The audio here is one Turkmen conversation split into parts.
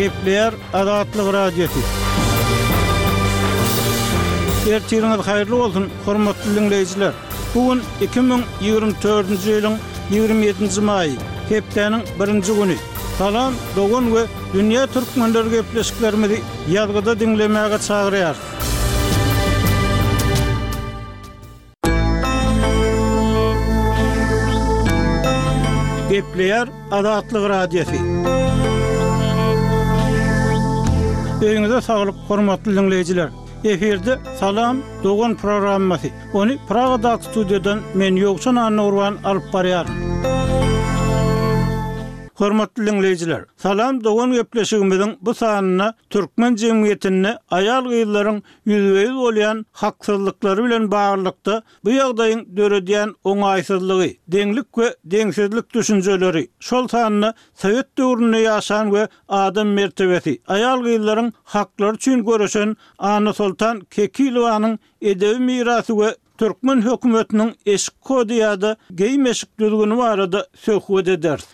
Gepleýär Azatlyk Radiosy. Ertiriňiz haýyrly bolsun, hormatly diňleýjiler! Bu gün 2024-nji ýylyň 27-nji maýy, hepdäniň birinji güni. Salam, dogan we dünýä türkmenleri gepleşiklerimizi ýazgyda diňlemäge çagyrýarys. Gepleýär Azatlyk Radiosy. Öýüňize saglyk, hormatly diňleýjiler! Efirde Salam, dogan programmasy. Ony Pragadaky studiýadan men Ýowşan Annagurban alyp barýaryn. Hormatly diňleýjiler, Salam, dogan gepleşigimiziň bu sanynda türkmen jemgyýetinde aýal-gyzlaryň ýüzbe-ýüz bolýan haksyzlyklary bilen baglylykda bu ýagdaýyň döredýän oňaýsyzlygy, deňlik we deňsizlik düşünjeleri, şol sanda sowet döwründe ýaşan we adam mertebesi, aýal-gyzlaryň haklary üçin göreşen Annasoltan Kekilowanyň edebi mirasy we Türkmen hökümetiniň eşik kody ýa-da geýim-eşik düzgüni barada söhbet ederis.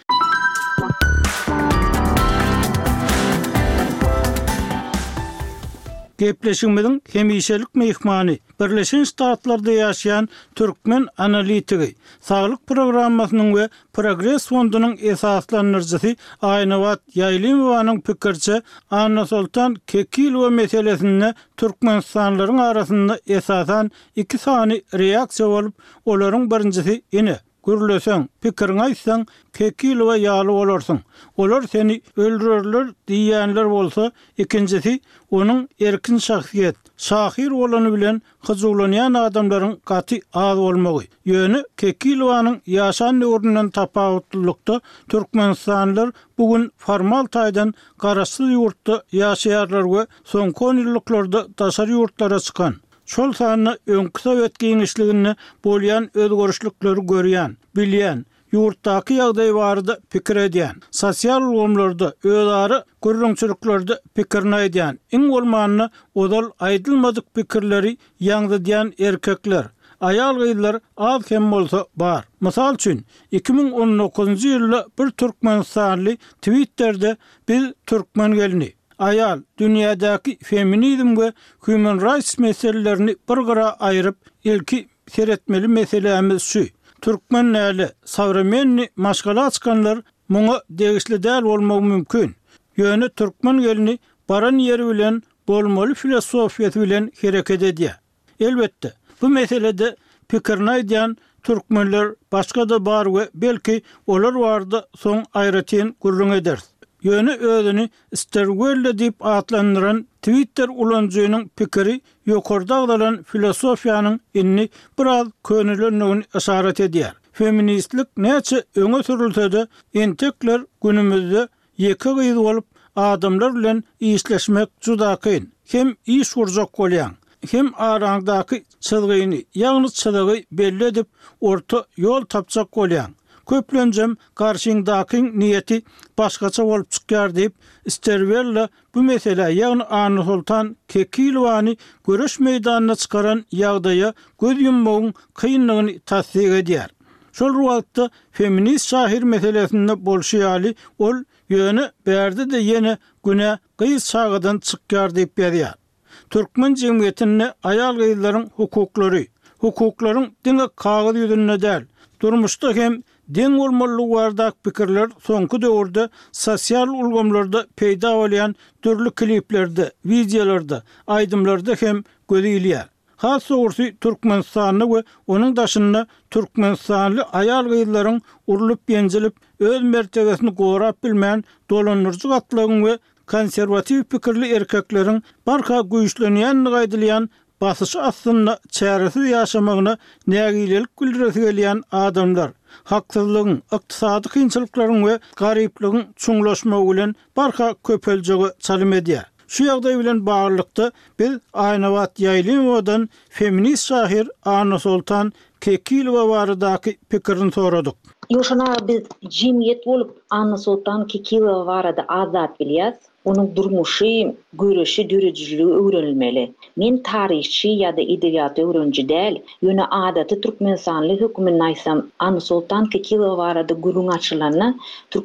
Gepleşigimiziň hemişelik myhmany, Birleşen Ştatlarda ýaşaýan türkmen analitigi, Saglyk programmasynyň we Progres fondunyň esaslandyryjysy Aýnabat Ýaýlymowanyň pikiriçe, Annasoltan Kekilowa meselesinde türkmenistanlylaryň arasynda esasan iki sany reaksiýa bolup, olaryň birinjisi ine, gürleseň, pikiriňi aýtsaň, Kekilowa ýaly bolarsyň, olar seni öldürerler diýýänler bolsa, ikinjisi onuň erkin şahsyýet, şahyr bolany bilen hyjuwlanýan adamlaryň gaty az bolmagy. Ýöne Kekilowanyň ýaşan döwründen tapawutlylykda türkmenistanlylar bu gün formal taýdan garaşsyz ýurtda ýaşaýarlar we soňky onýyllyklarda daşary ýurtlara çykan, şol sanda öňki sowet giňişliginde bolýan özgerişlikleri görýän, bilýän, ýurtdaky ýagdaý barada pikir edýän, sosial ulgamlarda, özara gürrüňçiliklerde pikirini aýdýan, iň bolmanda ozal aýdylmadyk pikirleri ýaňzydýan erkekler, aýal-gyzlar az hem bolsa bar. Mysal üçin, 2019-njy ýylda bir türkmenistanly Twitterde Biz türkmen gelni, aýal, dünýädäki feminizm we human rights meselelerini bir gyra aýryp, ilki Seretmeli meselämiz şu, türkmen däli, sowremennyý maşgala çykanlar muňa degişli däl bolmagy mümkin. Ýöne türkmen gelni baran ýeri bilen bolmaly filosofiýasy bilen hereket edýär. Elbetde, bu meselede pikirini aýdýan türkmenler başga-da bar we belki olar barada soň aýratyn gürrüň ederis. Ýöne özüni Sterwella diýip atlandyran Twitter ulanyjynyň pikiri ýokarda agzalan filosofiýanyň indi biraz könelendigini yşarat edýär. Feministlik näçe öňe sürülse-de, entekler günümizde ýeke gyz bolup, adamlar bilen işleşmek juda kyn. Hem iş gurjak bolýaň, hem araňdaky çyzgyny, ýagny çyzygy belli edip, orta ýol tapjak bolýaň. Köplenjem garşyňdakyň niýeti başgaça bolup çykýar diýip, Sterwella Bu meselä, ýagny Annasoltan Kekilowany göreş meýdanyna çykaran ýagdaýa göz ýummagyň kyndygyny tassyk edýär. Şol bir wagtda feminist şahyr meselesinde bolşy ýaly, ol Ýöne bärde-de ýene günä gyz çagadan çykýar diýip ýazýar. Türkmen jemgyýetinde aýal-gyzlaryň hukuklary, hukuklaryň diňe kagyz ýüzünde däl, durmuşda hem deň bolmalydygy baradaky pikirler soňky döwürde sosial ulgamlarda peýda bolýan dürli kliplerde, wideolarda, aýdymlarda hem göze ilýär. Has dogrusy Türkmenistanda we onuň daşynda türkmenistanly aýal-gyzlaryň urlup-ýenjilip, öz mertebesini gorap bilmän dolandyryjy gatlagyň we konserwatiw pikirli erkekleriň barha güýçlenýändigi aýdylýan basyşy astynda çäresiz ýaşamagyna nägilelik bildiresi gelýän adamlar, haksyzlygyň, ykdysady kynçylyklaryň we garyplygyň çuňlaşmagy bilen barha köpeljege çalym edýär. Şu ýagdaý bilen baglylykda biz Aýnabat Ýaýlymowadan feminist şahyr Annasoltan Kekilowa baradaky pikirini soradyk. Ýowşan aga biz jemgyýet bolup Annasoltan Kekilowa barada az zat bilýäs. Onuň durmuşy, göreşi, döredijiligi öwrenilmeli. Men taryhçy ýa-da edebiýat öwreniji däl, ýöne adaty türkmenistanly höküminde aýtsam, Annasoltan Kekilowa barada gürrüň açylanda, türk.